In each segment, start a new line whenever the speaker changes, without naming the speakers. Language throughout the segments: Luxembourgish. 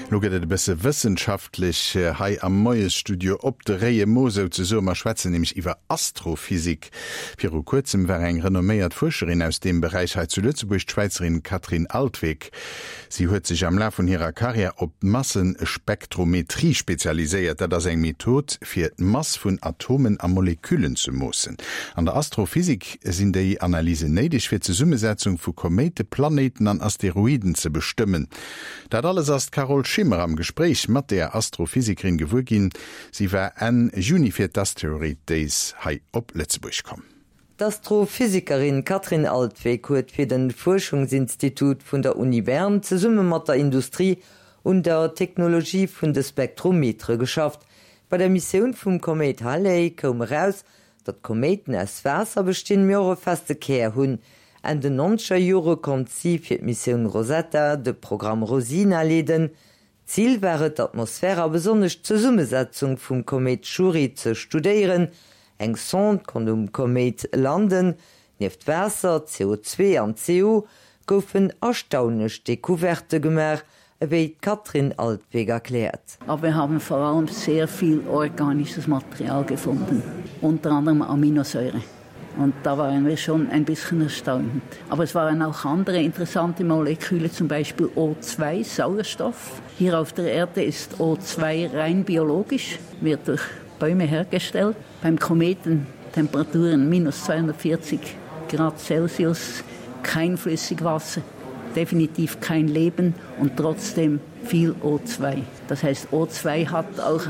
Lo gëtt et e bësse wëssenschaftlech hei am Moiesstudio op de réie Mo souzesoen. Mer schwätzen nämlech iwwer Astrophysik. Viru kuerzem war eng renomméiert Fuerscherin aus deem Beräich hei zu Lëtzebuerg, d'Schwäizerin Katrin Altwegg. Si huet sech am Laf vun hirer Karriär op d'Massespektrometrie spezialiséiert. Dat ass eng Method, fir d'Mass vun Atomen a Moleküllen ze moossen. An der Astrophysik sinn déi Analysen néideg, fir d'Zesummesetzung vu Koméite, Planéiten an Asteroiden ze bestëmmen. Dat alles ass d'Carole Schimmer am Gespréich mat der Astrophysikerin gewuer ginn. Si war Enn Juni fir d'Asteroid Days hei op Lëtzebuerg komm.
D'Astrophysikerin Katrin Altwegg huet fir de Fuerschungsinstitut vun der Uni Bern zesumme mat der Industrie un der Technologie vun de Spektrometere geschafft. Bei der Missioun vum Koméit Halley koum eraus, Datt Koméiten aus Waasser bestinn, mee och e feste Kär hunn. Enn den nonzeger Jore konnt si fir d'Missioun Rosetta de Programm Rosina leeden. Zil war et, d'Atmosphär a besonnesch d'Zesummesetzung vum Koméit Chury ze studéieren. Eng Sonde konnt um Koméit landen. Nieft Waasser, CO2 an CO goufen erstaunlech Decouverte gemaach, ewéi d'Katrin Altwegg erkläert.
Aber wir haben vor allem sehr viel organisches Material gefunden, unter anderem Aminosäure. Und da waren wir schon ein bisschen erstaunt. Aber es waren auch andere interessante Moleküle, zum Beispiel O2, Sauerstoff. Hier auf der Erde ist O2 rein biologisch, wird durch Bäume hergestellt. Beim Kometen Temperaturen minus 240 Grad Celsius, kein Flüssigwasser, definitiv kein Leben und trotzdem viel O2. Das heißt O2 hat auch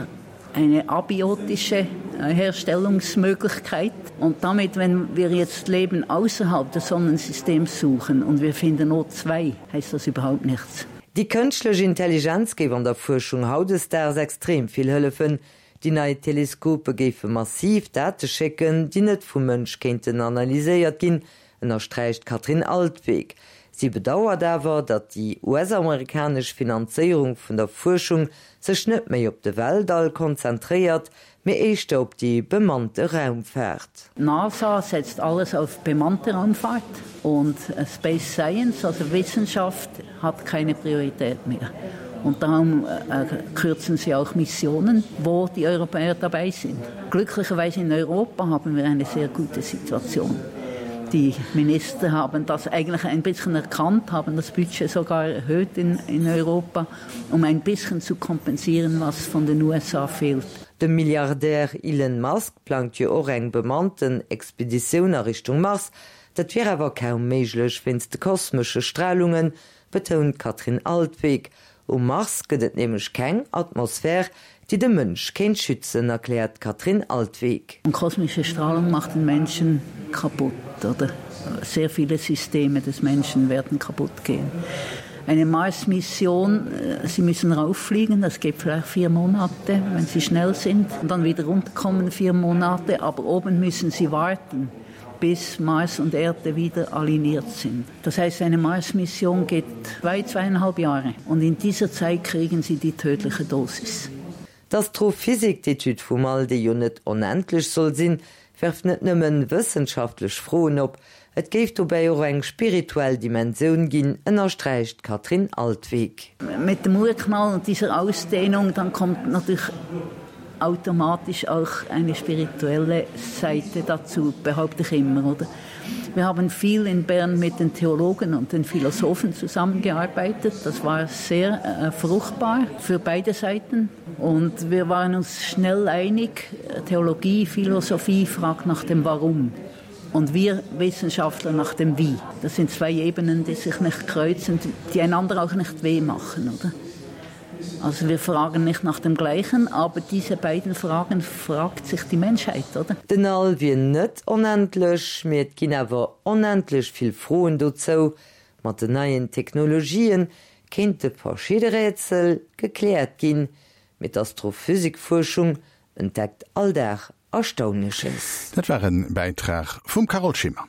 eine abiotische äh, Herstellungsmöglichkeit. Und damit, wenn wir jetzt Leben außerhalb des Sonnensystems suchen und wir finden O2, heißt das überhaupt nichts.
Déi kënschtlech Intelligenz géif an der Fuerschung hautdesdaags extrem vill hëllefen. Déi nei Teleskope géife massiv Date schécken, déi net vum Mënsch kéinten analyséiert ginn, ënnersträicht d'Katrin Altwegg. Si bedauert awer, datt déi US-amerikanesch Finanzéierung vun der Fuerschung sech net méi op de Weltall konzentréiert, mee éischter op déi bemannte Raumfaart.
D'NASA setzt alles auf bemannte Raumfahrt und Space Science, also Wissenschaft, hat keine Priorität mehr. Und darum äh, kürzen sie auch Missionen, wo die Europäer dabei sind. Glücklicherweise in Europa haben wir eine sehr gute Situation. Die Minister haben das eigentlich ein bisschen erkannt, haben das Budget sogar erhöht in, in Europa, um ein bisschen zu kompensieren, was von den USA fehlt.
De Milliardär Elon Musk plangt jo och eng bemannten Expeditioun a Richtung Mars. Dat wier awer kaum méiglech wéinst de kosmesche Stralungen, betount d'Katrin Altwegg. Um Mars gëtt et nämlech keng Atmosphär, déi de Mënsch kéint schützen, erkläert d'Katrin Altwegg.
Und kosmische Strahlung macht den Menschen kaputt, oder sehr viele Systeme des Menschen werden kaputt gehen. Eine Mars-Mission, äh, sie müssen rauffliegen, das geht vielleicht vier Monate, wenn sie schnell sind, und dann wieder runterkommen vier Monate, aber oben müssen sie warten bis Mars und Erde wieder aligniert sind. Das heißt, eine Mars-Mission geht zwei, zweieinhalb Jahre und in dieser Zeit kriegen sie die tödliche Dosis.
D'Astrophysik, d'Etüd vum All, déi jo net onendlech soll sinn, werft net nëmmen wëssenschaftlech Froen op, et géif dobäi och eng spirituell Dimensioun ginn, ënnersträicht d'Katrin Altwegg.
Mit dem Urknall und dieser Ausdehnung, dann kommt natürlich automatisch auch eine spirituelle Seite dazu, behaupte ich immer, oder? Wir haben viel in Bern mit den Theologen und den Philosophen zusammengearbeitet. Das war sehr äh, fruchtbar für beide Seiten. Und wir waren uns schnell einig, Theologie, Philosophie fragt nach dem Warum. Und wir Wissenschaftler nach dem Wie. Das sind zwei Ebenen, die sich nicht kreuzen, die einander auch nicht weh machen, oder? Also wir fragen nicht nach dem Gleichen, aber diese beiden Fragen fragt sich die Menschheit, oder?
Den All wier net onendlech, mee et ginn awer onendlech vill Froen dozou. Mat den neien Technologien kéinte verschidde Rätsel gekläert ginn, mee d'Astrophysikfuerschung entdeckt all Dag Erstaunleches.
Dat war en Bäitrag vum Carole Schimmer.